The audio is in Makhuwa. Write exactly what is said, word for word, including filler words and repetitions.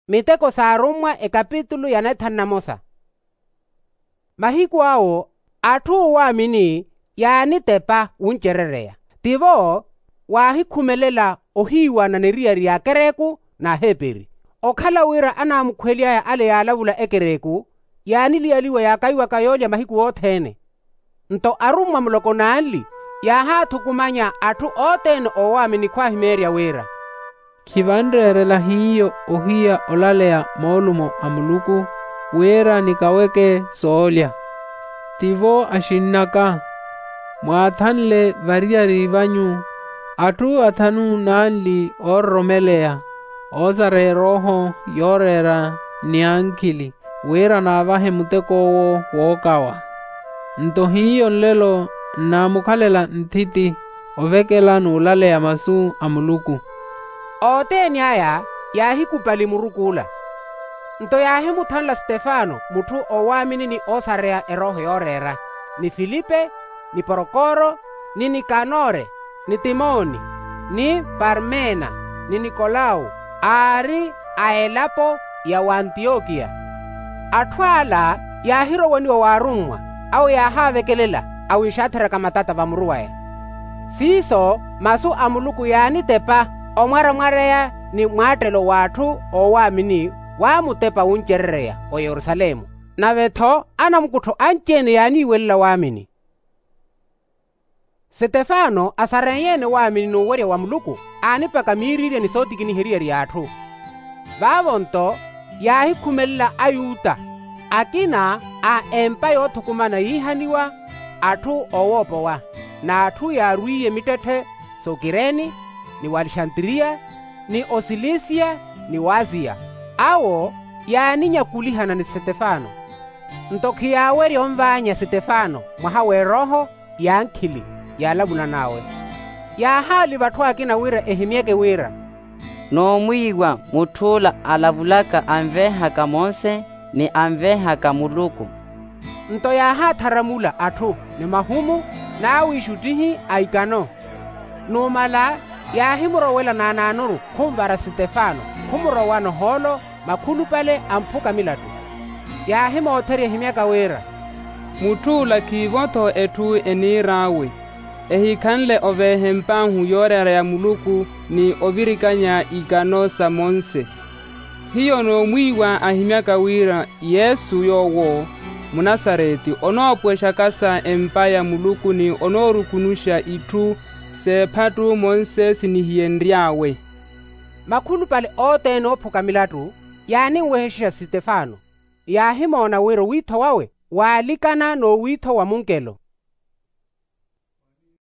Miteko s'arummwa ekapitulu ya neethanu na mosa. Mahiku awo atthu oowaamini yaanitepa wuncerereya. Tivo waahikhumelela ohiiwana n'eriyari y'akereku n'aheperi. Okhala wira anaamukhuwely'aya ale yaalavula ekereku, yaaniliyaliwa yaakaiwaka yoolya mahiku othene. Nto arummwa muloko n'anli yaahaathukumanya atthu othene oowaamini khwaahimeerya wira, khivanreerela hiyo ohiya olaleya moolumo a muluku, wira nikaweke soolya. Tivo axinn'aka, mwaathanle variyari vanyu atthu athanu n'anli oororomeleya, oosareya erooho yooreera ni ankhili, wira naavahe muteko owo wookawa. Nto hiyo nlelo nnaamukhalela nthiti ovekela n'ulaleya masu a muluku. Othene aya yaahikupali muruk'ula. Nto yaahimuthanla stefano mutthu oowaamini ni oosareya erooho yooreera, ni filipe, ni porokoro, ni nikanore, ni timoni, ni parmena, ni nikolawu, aari a elapo ya w'antiyokiya. Atthu ala yaahirowaniwa w'arummwa, awo yaahaavekelela awiixaatheraka matata vamuru waya. Siiso masu a muluku yaanitepa omwaramwareya ni mwaattelo w'atthu oowaamini waamutepa wuncerereya oyerusalemu. Nave-tho anamukuttho anci-ene yaaniiwelela waamini. Sitefano asarenyeene waamini n'uwerya wa muluku, aanipaka miiriirya ni sootikiniha eriyari y'atthu. Vaavo-nto yaahikhumelela ayuta akina a empa yoothukumana yiihaniwa atthu oowoopowa, n'atthu yaarwiiye mittetthe s'okireni, ni w'alexantiriya, ni osilisiya, ni w'asiya. Awo yaaninyakulihana ni sitefano. Nto khiyaawerya onvaanya sitefano mwaha w'erooho y'ankhili yaalavula n'awe. Yaahaaliva atthu akina wira ehimyeke wira, noomwiiwa mutth'ula alavulaka anveehaka monse ni anveehaka muluku. Nto yaahaattharamula atthu ni mahumu n'awiixuttihi a ikano. Numala yaahimurowela naanaanuru khunvara sitefano, khumurowano ohoolo makhulupale a mphuka milattu. Yaahimootherya ehimyaka wira, mutth'ula khiivo-tho etthu eniir'awe, ehikhanle oveeha emp'ahu yooreera ya muluku ni ovirikanya ikano sa monse. Hiyo noomwiiwa ahimyaka wira yesu yoowo munasareti onoopuwexakasa empa ya muluku ni onoorukunuxa itthu s'ephattu monse sinihiyenry'awe. Makhulupale othene oophuka milattu yaaninwehexa sitefano. Yaahimoona wira owiitho wawe waalikana n'owiitho wa munkelo.